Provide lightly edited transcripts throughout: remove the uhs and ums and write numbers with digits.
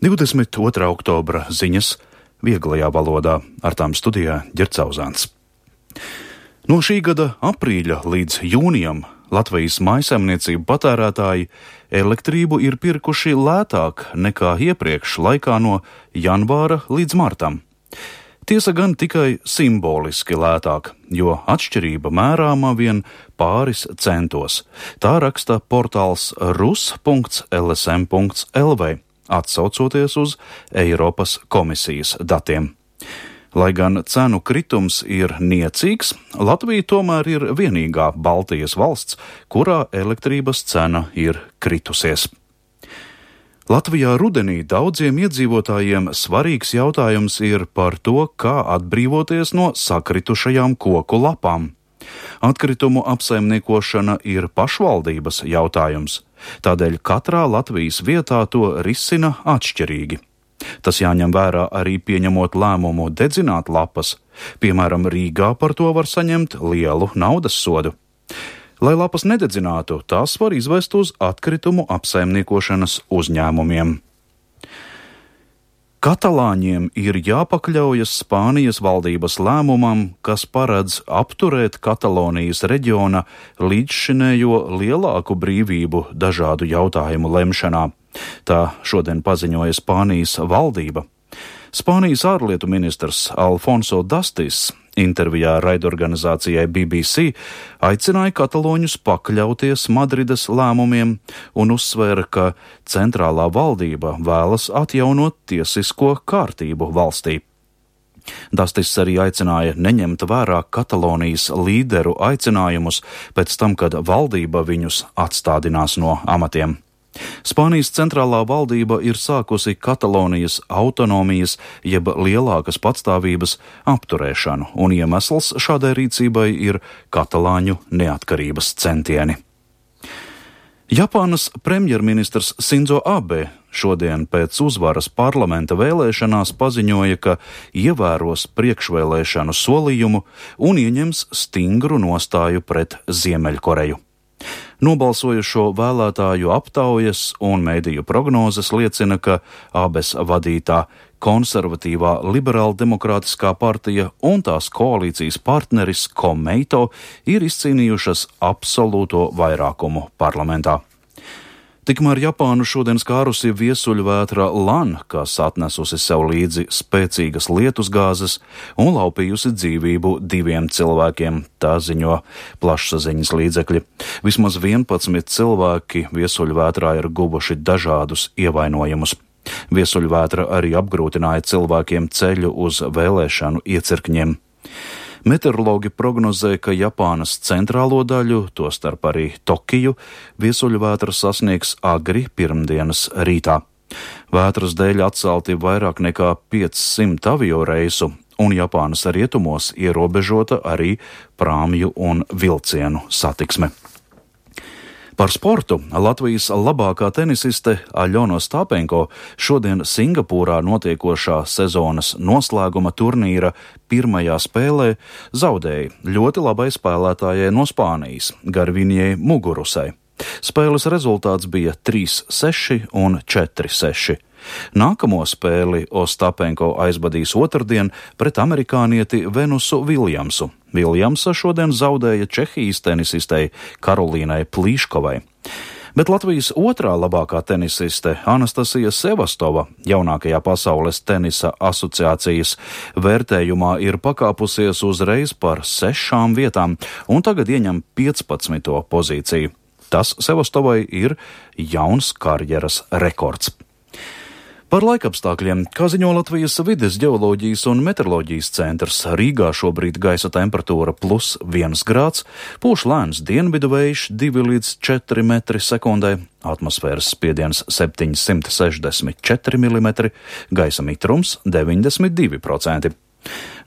22. oktobra ziņas vieglajā valodā, ar tām studijā Ģercauzāns. No šī gada aprīļa līdz jūnijam Latvijas mājsaimniecību patērētāji elektrību ir pirkuši lētāk nekā iepriekš laikā no janvāra līdz martam. Tiesa gan tikai simboliski lētāk, jo atšķirība mērāma vien pāris centos. Tā raksta portāls rus.lsm.lv, atsaucoties uz Eiropas komisijas datiem. Lai gan cenu kritums ir niecīgs, Latvija tomēr ir vienīgā Baltijas valsts, kurā elektrības cena ir kritusies. Latvijā rudenī daudziem iedzīvotājiem svarīgs jautājums ir par to, kā atbrīvoties no sakritušajām koku lapām. Atkritumu apsaimniekošana ir pašvaldības jautājums, tādēļ katrā Latvijas vietā to risina atšķirīgi. Tas jāņem vērā arī pieņemot lēmumu dedzināt lapas, piemēram, Rīgā par to var saņemt lielu naudas sodu. Lai lapas nededzinātu, tās var izvest uz atkritumu apsaimniekošanas uzņēmumiem. Katalāņiem ir jāpakļaujas Spānijas valdības lēmumam, kas paredz apturēt Katalonijas reģiona līdzšinējo lielāku brīvību dažādu jautājumu lemšanā. Tā šodien paziņoja Spānijas valdība. Spānijas ārlietu ministrs Alfonso Dastis intervijā raidorganizācijai BBC aicināja kataloņus pakļauties Madrides lēmumiem un uzsvēra, ka centrālā valdība vēlas atjaunot tiesisko kārtību valstī. Dastis arī aicināja neņemt vērā Katalonijas līderu aicinājumus pēc tam, kad valdība viņus atstādinās no amatiem. Spānijas centrālā valdība ir sākusi Katalonijas autonomijas jeb lielākas patstāvības apturēšanu, un iemesls šādai rīcībai ir katalāņu neatkarības centieni. Japānas premjerministrs Sinzo Abe šodien pēc uzvaras parlamenta vēlēšanās paziņoja, ka ievēros priekšvēlēšanu solījumu un ieņems stingru nostāju pret Ziemeļkoreju. Nobalsojušo vēlētāju aptaujas un mediju prognozes liecina, ka Abes vadītā konservatīvā liberāldemokrātiskā partija un tās koalīcijas partneris Komeito ir izcīnījušas absolūto vairākumu parlamentā. Tikmēr Japānu šodien skārusi viesuļvētra Lan, kas atnesusi sev līdzi spēcīgas lietusgāzes un laupījusi dzīvību 2 cilvēkiem, tā ziņo plašsaziņas līdzekļi. Vismaz 11 cilvēki viesuļvētrā ir guvuši dažādus ievainojumus. Viesuļvētra arī apgrūtināja cilvēkiem ceļu uz vēlēšanu iecirkņiem. Meteorologi prognozē, ka Japānas centrālo daļu, tostarp arī Tokiju, viesuļvētra sasniegs agri pirmdienas rītā. Vētras dēļ atcelti vairāk nekā 500 avio reisu, un Japānas rietumos ierobežota arī prāmju un vilcienu satiksme. Par sportu Latvijas labākā tenisiste Aļona Ostapenko šodien Singapūrā notiekošā sezonas noslēguma turnīra pirmajā spēlē zaudēja ļoti labai spēlētājai no Spānijas, Garvinjai Mugurusai. Spēles rezultāts bija 3-6 un 4-6. Nākamo spēli Ostapenko aizvadīs otrdien pret amerikānieti Venusu Viljamsu. Viljamsa šodien zaudēja Čehijas tenisistei Karolīnai Plīškovai. Bet Latvijas otrā labākā tenisiste Anastasija Sevastova jaunākajā pasaules tenisa asociācijas vērtējumā ir pakāpusies uzreiz par 6 vietām un tagad ieņem 15. pozīciju. Tas Sevastovai ir jauns karjeras rekords. Par laikapstākļiem, kā ziņo Latvijas vides ģeoloģijas un meteoroloģijas centrs, Rīgā šobrīd gaisa temperatūra +1 grāds, pūš lēns dienvidu vējš 2 līdz 4 metri sekundē, atmosfēras spiediens 764 mm, gaisa mitrums 92%.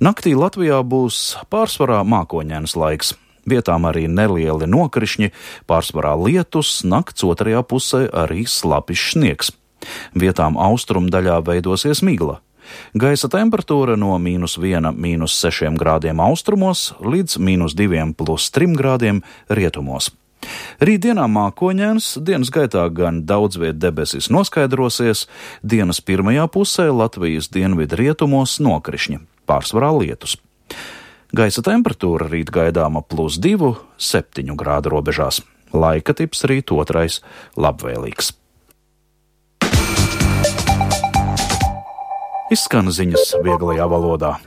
Naktī Latvijā būs pārsvarā mākoņains laiks. Vietām arī nelieli nokrišņi, pārsvarā lietus, nakts otrajā pusē arī slapjš sniegs. Vietām austrumdaļā veidosies migla. Gaisa temperatūra no -1, -6 grādiem austrumos līdz -2 + 3 grādiem rietumos. Rītdienā mākoņains, dienas gaitā gan daudz viet debesis noskaidrosies, dienas pirmajā pusē Latvijas dienvidu rietumos nokrišņi, pārsvarā lietus. Gaisa temperatūra rīt gaidāma +2, 7 grādu robežās. Laika tips rīt otrais labvēlīgs. Izskan ziņas vieglajā valodā.